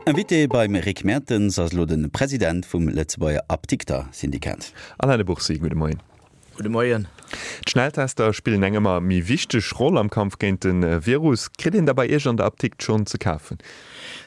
Invité beim Rick Mertens ass elo de President vum Lëtzebuerger Apdikter-Syndikat. Alain de Bourcy, gudde Moien. Gudde Moien. D'Schnelltester spillen eng ëmmer méi wichteg Roll am Kampf géint de Virus. Kritt een der bei Iech an der Apdikt schonn ze kafen?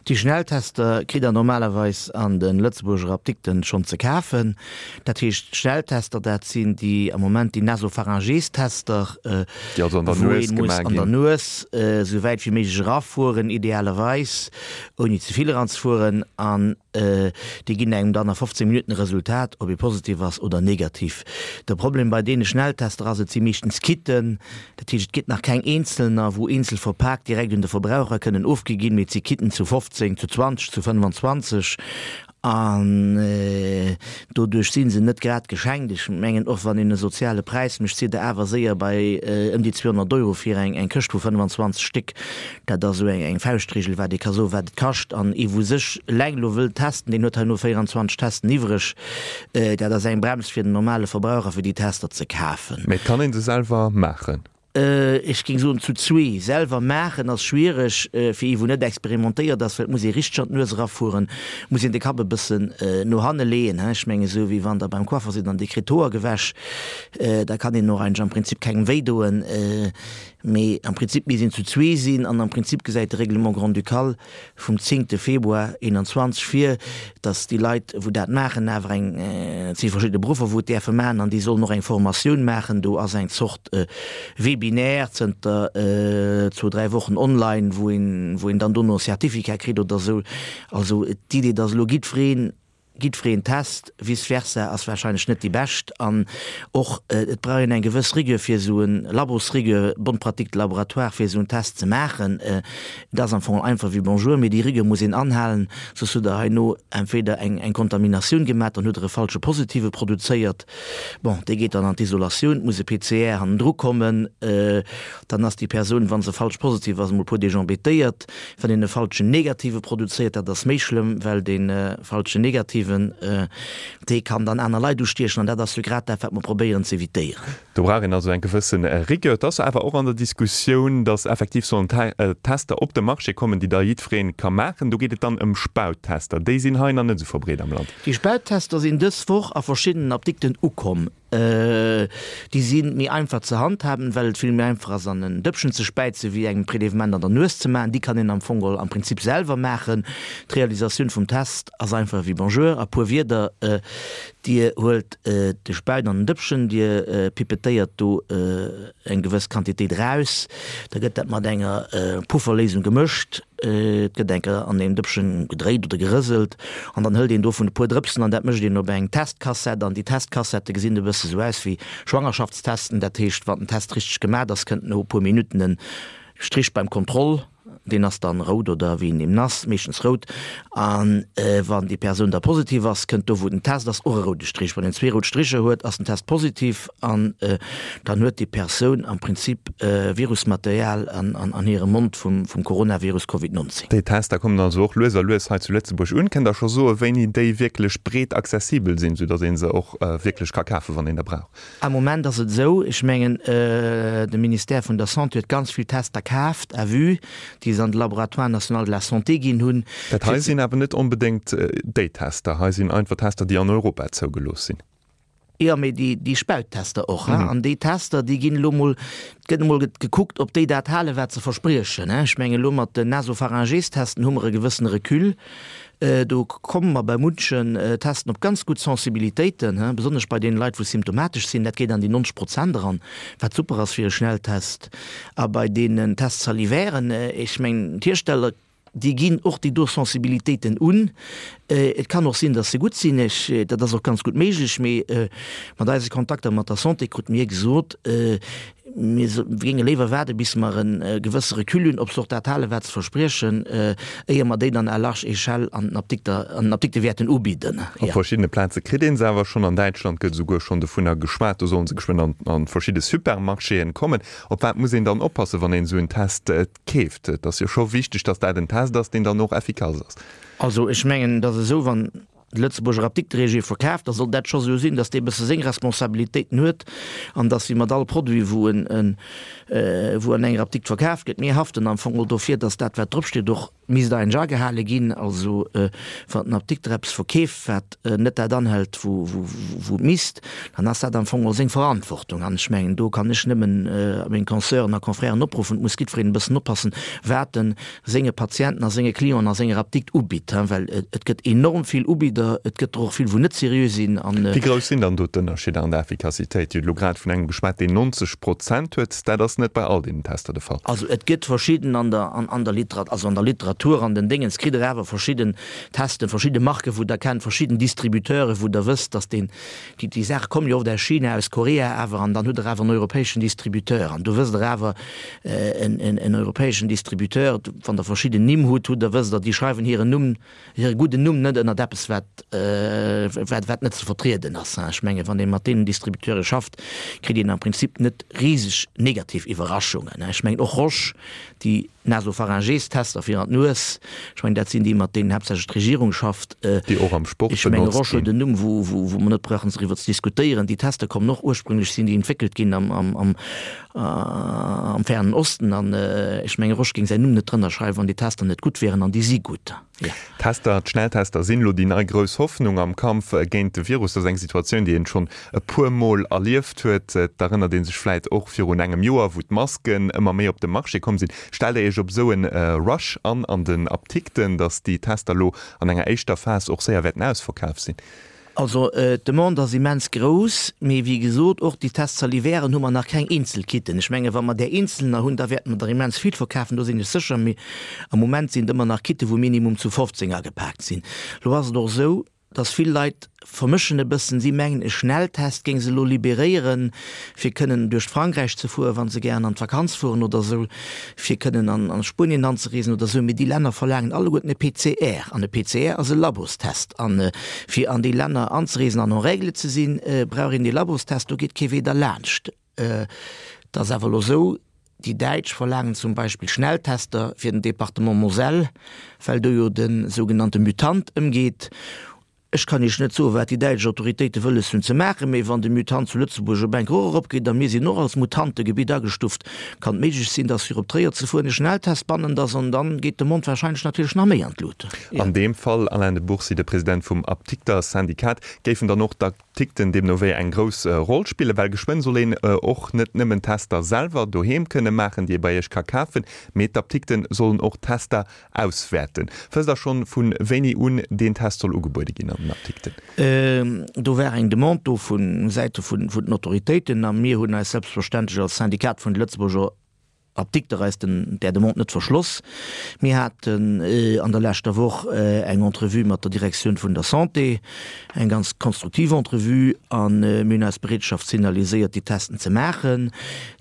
Déi Schnelltester kritt der normalerweis an de Lëtzebuerger Apdikten schonn ze kafen. Dat heescht, d'Schnelltester, dat sinn déi am Moment déi Nasopharyngeestester, Déi also an der wou Nues ee muss gemaach an der ginn. Nues esou wäit wéi méiglech erafueren, idealerweis ouni ze vill eranzefueren. An déi ginn engem dann a 15 Minutten e Resultat, ob ee positiv ass oder negativ. De Problem bei deene Schnelltester ass, et si meeschtens Kitten, dat heescht et gëtt nach keng eenzelner, wou eenzel verpaakt direkt un de Verbraucher kënnen ofgi ginn, mee et si Kitten zu 15, zu 20, zu 25 an doduerch si se net grad geschenkt. Ech mengen, och wann een e soziale Präis mécht, sidd Der awer séier bei ëm déi 200 Euro fir eng Këscht vu 25 Stéck. Dat ass esou eng Fauschtregel, wat ee ka soen, wat et kascht. An ee wou sech eleng elo wëllt testen, deen huet herno 24 Testen iwwreg. Dat ass eng Brems fir den normale Verbraucher, fir déi Tester ze kafen. Mee et kann ee se selwer maachen? Ech géing soen, zu zwee. Selwer maachen ass schwiereg fir ee wou net experimentéiert ass, well et muss ee richteg an d'Nues erafueren, muss een de Kapp e bëssen no hanne leeën, ech mengen esou wéi wann Der beim Coiffer sidd an Dir kritt d'Hoer gewäsch, da kann een och eigentlech am Prinzip kengem wéi doen. Mee am Prinzip misst een zu zwee sinn an am Prinzip gesäit de Règlement grand-ducal vum zéngte Februar 21 vir, datt déi Leit, wou dat maachen, awer eng, et si verschidde Beruffer, wou et däerfe maachen an déi sollen och eng Formatioun maachen. Do ass eng Zort Webinaire zënter zwou, dräi Wochen online, wou een, wou een dann dono e Certificat kritt oder esou. Also d'Idee, datt elo jiddwereen Jiddwereen Test, vice versa, ass wahrscheinlech net déi bescht. An och et brauch een eng gewëss Rigueur fir esou en Labosrigueur, bonne pratique de laboratoire, fir esou en Test ze maachen. Et ass am Fong einfach wéi Bonjour, mee déi Rigueur muss een anhalen, soss hutt Der herno entweder eng eng Kontaminatioun gemaach, dann hutt Der e falsche Positive produzéiert. Bon, dee geet dann an d'Isolatioun, et muss e PCR hannendru kommen, dann ass déi Persoun, wa se falsch positiv ass, emol e puer Deeg embêtéiert. Wann een e falschen Negative produzéiert, dat ass méi schlëmm, well dee falschen Negativen, dee kann dann aner Leit ustiechen an dat ass jo grad dat, wat mer probéieren ze evitéieren. Do brauch een also eng gewësse Rigueur. Et ass awer och an der Diskussioun, datt effektiv sollen Tester op de Marché kommen, déi da jiddweree ka maachen. Do geet et dann ëm Spauttester. Déi sinn hei nach net esou verbreet am Land. Déi Spauttester sinn dës Woch a verschiddenen Apdikten ukomm. Déi si méi einfach ze handhaben, well et vill méi einfach ass an en Dëppchen ze späizen, wéi engem Prélèvement an der Nues ze maachen. Déi kann een am Fong geholl am Prinzip selwer maachen. D'Realisatioun vum Test ass einfach ewéi Bonjour a puer Wierder. Dir huelt de Späit an en Dëppchen, Dir pipettéiert do eng gewëss Quantitéit eraus, da gëtt dat mat enger Pufferléisung gemëscht. Et gëtt eng Kéier an deem Dëppchen gedréit oder gerëselt an dann hëlt een dovun e puer Drëpsen an dat mécht een op eng Testkassett an déi Testkassette gesinn e bësse sou aus wéi Schwangerschaftstesten. Dat heescht, wann den Test richteg gemat ass, kënnt no e puer Minutten en Strich beim Kontroll. Deen ass dann rout oder wéi en eben ass, meeschtens rout. An wann déi Persoun da positiv ass, kënnt do wou den Test ass och e roude Strich. Wann een zwee rout Stricher huet, ass den Test positiv an dann huet déi Persoun am Prinzip Virusmaterial an hirem Mond vum Coronavirus Covid 19. Déi Tester kommen also och lues a lues hei zu Lëtzebuerg un. Kënnt Der scho soen, wéini déi wierklech breet accessibel sinn, soudatt ee se och wierklech ka kafen, wann een der brauch? Am Moment ass et esou, ech mengen, de Ministère vun der Santé huet ganz vill Tester kaaft à vue, déi se an de Laboratoire national de la santé ginn hunn. Dat hei sinn awer net onbedéngt déi Tester. Hei sinn einfach Tester, déi an Europa zougelooss sinn. Jo, mee déi Spauttester och. An déi Tester, déi ginn elo mol, et gëtt emol gekuckt, ob déi dat halen, wat se verspriechen. Ech mengen, elo mat den Nasopharyngeestesten hu mer e gewëssene Recul. Do komme mer bei munchen Testen op ganz gutt Sensibilitéiten, besonnesch bei deene Leit, wou symptomatesch sinn. Dat geet an déi 90 Prozent eran, wat super ass fir e Schnelltest. A bei deenen Tests salivairen, ech mengen, d'Hiersteller, déi ginn och déi do Sensibilitéiten un. Et kann och sinn, datt se gutt sinn, ech, dat ass och ganz gutt méiglech, mee mat eise Kontakter mat der Santé krute mir gesot, Mir géinge léiwer waarde bis mer e gewësse Recul hunn, ob se och dat halen, wat se verspriechen, éier mer déi dann à large échelle an den Apdikter, an den Apdikte wäerten ubidden. Op verschiddene Plaze kritt ee se awer schonn. An Däitschland gëtt esouguer schonn dovunner geschwat, do solle se geschwënn an a verschidde Supermarchéen kommen. Op wat muss een dann oppassen, wann een esou en Test keeft? Et ass jo scho wichteg, datt dat en Test ass, deen dann och effikass ass. Also ech mengen, et ass esou, wann de Lëtzebuerger Apdikteregier verkaaft, da soll dat scho sou sinn, datt dee bësse seng Responsabilitéiten huet an datt wéi mat all Produit, wou en, wou an enger Apdikt verkaaft gëtt, mir haften am Fong och dofir, datt dat wat dropsteet och. Misst eigentlech agehale ginn. Also wann den Apdikter eppes verkeeft, wat net dat anhält, wou et misst, dann ass dat am Fong och seng Verantwortung. An ech mengen, do kann ech nëmmen meng Consœuren a Confrèren opruffen, et muss jiddwereen e bëssen oppassen, wat en senge Patienten a senge Clienten a senger Apdikt ubitt, well et gëtt enorm vill Ubidder, et gëtt der och vill, wou net seriö sinn. Wéi grouss sinn dann do d'Ënnerscheeder an der Effikassitéit? Dir hutt elo grad vun engem geschwat, deen 90 Prozent huet. Dat ass net bei all deenen Tester de Fall. Also et gëtt verschidden an der, an der Literat, also an der Literatur, an den Déngens kritt Der awer verschidden Testen, verschidde Marken, wou Der kennt, verschidden Distributeuren, wou Der wësst, dass deen, déi, déi Saache kommen jo oft aus China, aus Korea awer, an dann hutt Der awer en europäeschen Distributeur. An do wësst Der awer, en, en, en europäeschen Distributeur, wann Der verschidden Nimm hutt, hutt Der, wësst Der, déi schreiwen hiren Numm, hire gudden Numm net ënnert eppes, wat, wat, wat net ze vertrieden ass. Ech mengen, wann ee mat deenen Distributeure schafft, kritt een am Prinzip net riseg negativ Iwwerraschungen. Ech mengen och Roche, déi Nasopharyngeestester fir an d'Nues, ech mengen, dat sinn déi, mat deenen haaptsächlech d'Regierung schafft. Déi och am Sport Ech menge benotzt Roche huet ginn. en Numm, wou, wou, wou mer net brauchen driwwer ze diskutéieren. Déi Tester kommen och, ursprünglech sinn déi entwéckelt ginn am, am, am, am Fernen Osten an ech menge Roche géing säin Numm net drënner schreiwen, wann déi Tester net gutt wieren, an déi si gutt. Jo. D'Tester, d'Schnelltester sinn elo déi nei grouss Hoffnung am Kampf géint de Virus. Dat ass eng Situatioun, déi een schonn e puer Mol erlieft huet. Et erënnert ee sech vläit och virun engem Joer, wou d'Masken ëmmer méi op de Marché komm sinn. Stellt Der Iech op esou en Rush an an den Aptikten, datt déi Tester elo an enger éischter Phas och séier wäerten ausverkaf sinn? Also d'Demande ass immens grouss, mee wéi gesot, och déi Tests salivairen hu mer nach keng eenzel Kitten. Ech menge wa mer där eenzelner hunn, da wäerte mer der immens vill verkafen, do sinn ech sécher. Mee am Moment sinn et ëmmer nach Kitten, wou minimum zu 15 agepaakt sinn. Lo ass et och esou, dass vill Leit vermëschen e bëssen, si mengen e Schnelltest géing se elo liberéieren, fir kënnen duerch Frankräich ze fueren, wa se gären an d'Vakanz fueren oder esou, fir kënnen an Spuenien anzereesen oder esou. Mee déi Länner verlaangen alleguerten e PCR an e PCR ass e Labostest. An fir an déi Länner anzereesen an en règle ze sinn, brauch een dee Labostest, do geet kee Wee derlaanscht. Et ass awer elo esou, déi Däitsch verlaangen zum Beispill Schnelltester fir den Département Moselle, well do jo de sougenannte Mutant ëmgeet. Ech kann Iech net soen, wat déi däitsch Autoritéite wëlles hunn ze maachen, mee wann de Mutant zu Lëtzebuerg op enk och eropgeet, a mir sinn och als Mutantegebitt agestuft, kann et méiglech sinn, dass fir op Tréier ze fueren e Schnelltest bannent ass, an dann geet de Mond wahrscheinlech natierlech nach méi an d'Lut. An deem Fall, Alain de Bourcy, de President vum Apdikter-Syndikat, géifen dann och d'Apdikten deemno wéi eng grouss Roll spillen, well geschwënn soll een och net nëmmen Tester selwer doheem kënne maachen, déi ee bei Iech ka kafen, mee d'Apdikte sollen och Tester Auswäerten. Wësst Der schonn, vu wéini un deen Test soll ugebuede ginn an den Apdikten? Do war eng Demande do vu Säite vun den Autoritéiten a mir hunn eis selbstverständlech als Syndikat vun de Lëtzebuerger Apdikter eis den där Demande net verschloss. Mir haten an der leschter Woch eng Entrevue mat der Direktioun vun der Santé, eng ganz konstruktiv Entrevue, a mir hunn eis Bereetschaft signaliséiert, déi Testen ze maachen.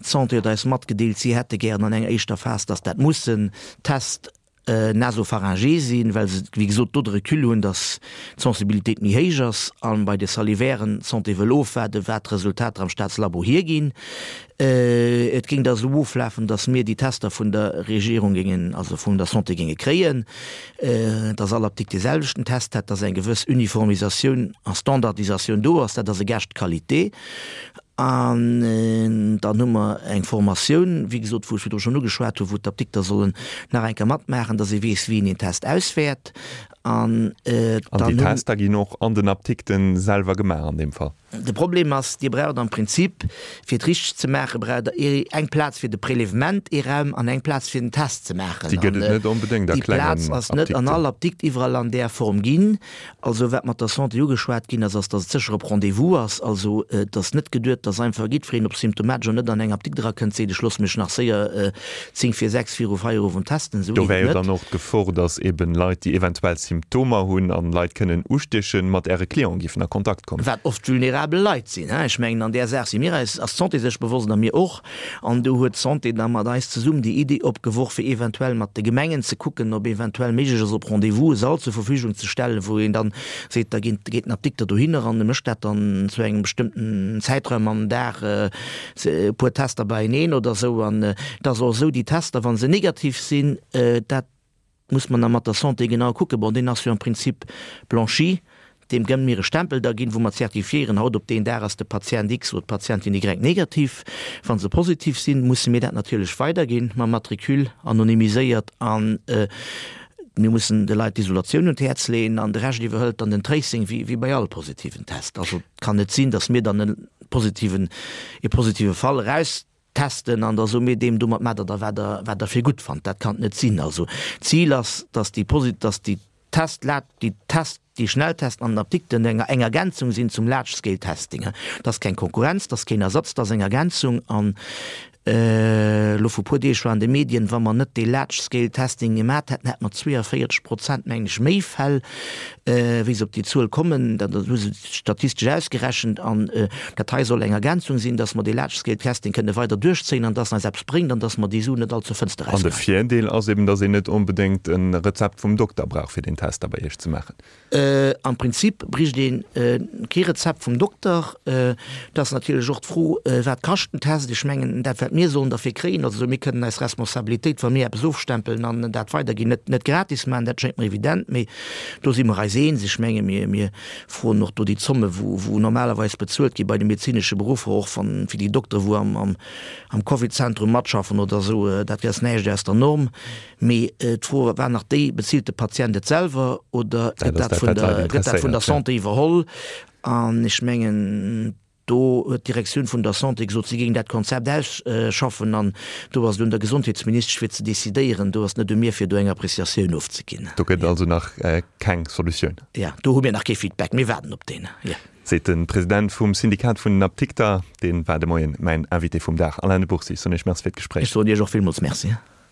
D'Santé huet eis matgedeelt, si hätte gären an enger éischter Phas, dass dat mussen Test nasopharyngé sinn, well se wéi gesot do de Recul hunn, datt d'Sensibilitéit méi héich ass, a bei de Salivairen d'Santé wëll ofwaarden, wat d'Resultater am Staatslabo hierginn. Et géing da esou oflafen, datt mir déi Tester vun der Regierung géingen, also vun der Santé géinge kréien, datt all Apdikt dee selwechten Test hätt, datt eng gewëss Uniformisatioun a Standardisatioun do ass. Dat ass e Gage de qualité. An dann hu mer eng Formatioun, wéi gesot, wou ech virdru schonn ugeschwat hunn, wou d'Apdikter sollen nach eng Kéier matmaachen, dass ee weess, wéi een een Test auswäert. An dann déi Tester ginn och an den Apdikte selwer gemaach an deem Fall? De Problem ass, Dir braucht am Prinzip, fir et richteg ze maachen, braucht Der eng Plaz fir de Prélèvement, ee Raum, an eng Plaz fir den Test ze maachen. Déi gëtt et net onbedéngt a klengen Apdikten. Déi Plaz ass net an all Apdikt iwwerall an där Form ginn. Also wat mat der Santé ugeschwat ginn ass, ass, datt et sécher op Rendez-vous ass. Also et ass net geduet, datt einfach jiddwereen, ob symptomatesch oder net, an eng Apdikt erakënnt, seet, ech loosse mech nach séier 10 vir 6 viru Feierowend testen. Esou Do geet wär et jo net. dann och d'Gefor, datt eben Leit, déi eventuell Symptomer hunn an Leit kënnen ustiechen, mat Äre Clienten géifen a Kontakt kommen. Wat oft vulnerabel Leit sinn. Ech mengen, an där Saach si mir eis, ass d'Santé sech bewosst a mir och. An do huet d'Santé da mat eis zesummen déi Idee opgeworf, fir eventuell mat de Gemengen ze kucken, ob eventuell méiglech ass, op Rendez-vous e Sall zur Verfügung ze stellen, wou een dann seet, da geet den Apdikter dohinner an e mécht dat dann zu engem bestëmmten Zäitraum am Dag e puer Tester beieneen oder esou. An et ass och esou, déi Tester, wa se negativ sinn, dat Muss mer nach mat der Santé genau kucken. Bon, deen ass jo am Prinzip blanchi. Deem gënne mir e Stempel da ginn, wou mer zertifiéieren, haut op deen Dag ass de Patient X oder d'Patientin Y negativ. Wa se positiv sinn, musse mir dat natierlech weiderginn mam Matricule, anonymiséiert. An. Mir mussen de Leit d'Isolatioun un d'Häerz leeën an de Rescht iwwerhëlt dann den Tracing, wéi bei all positiven Test. Also et kann net sinn, datt mir dann e positiven, e positive Fall eraustesten an da soe mir deem, domat maacht der da wat der, wat der fir gutt fannt. Dat kann et net sinn. Also d'Zil ass, datt déi posi-, datt déi Test, déi Test, déi Schnelltesten an den Apdikten eng eng Ergänzung sinn zum Large Scale Testing. Dat ass keng Konkurrenz, dat ass keen Ersatz, dat ass eng Ergänzung. An elo vu puer Deeg war an de Medien, wa mer net dee Large Scale Testing gemat hätten, hätte mer 42 Prozent, mengen ech, méi Fäll, wéi se op déi Zuel kommen. Dat hu se statistesch ausgerechent. An dat hei soll eng Ergänzung sinn, dass mer dee Large Scale Testing kënne weider duerchzéien an dass en eis eppes bréngt an dass mer déi Suen net all zur Fënster An de erausgeheien. Virdeel ass eben, dass een net onbedéngt e Rezept vum Dokter brauch, fir deen Test da bei Iech ze maachen. Am Prinzip bréicht ee kee Rezept vum Dokter. Et ass natierlech och d'Fro, wat kascht den Test? Ech mengen, dat wat mir sollen derfir kréien, also mir kënnen eis Responsabilitéit, wa mir eppes ofstempelen an dat weiderginn, net net gratis maachen, dat schéngt mer evident. Mee do si mer eis eens. Ech menge mir mir froen och do déi Zomme wou wou normalerweis bezuelt gi bei de medezinesche Beruffer, och wann fir déi Doktere wou am am am Covid-Zentrum matschaffen oder esou, dat ass näischt aus der Norm. Mee d'Fro war nach déi, Bezilt de Patient et selwer oder gëtt dat vun der, gëtt dat vun der Santé iwwerholl? An ech mengen, do huet d'Direktioun vun der Santé gesot, si géing dat Konzept ausschaffen an do ass et un der Gesondheetsministesch fir ze decidéieren. Do ass et net u mir fir do eng Appréciatioun ofzeginn. Do gëtt et also nach keng Solutioun. Jo, do hu mir nach kee Feedback. Mir waarden op deen, jo. Seet de President vum Syndikat vun den Apdikter. Dee war de Moien mäin Invité vum Dag. Alain de Bourcy, ech soen Iech Merci fir d'Gespréich. Ech soen Iech och villmools Merci.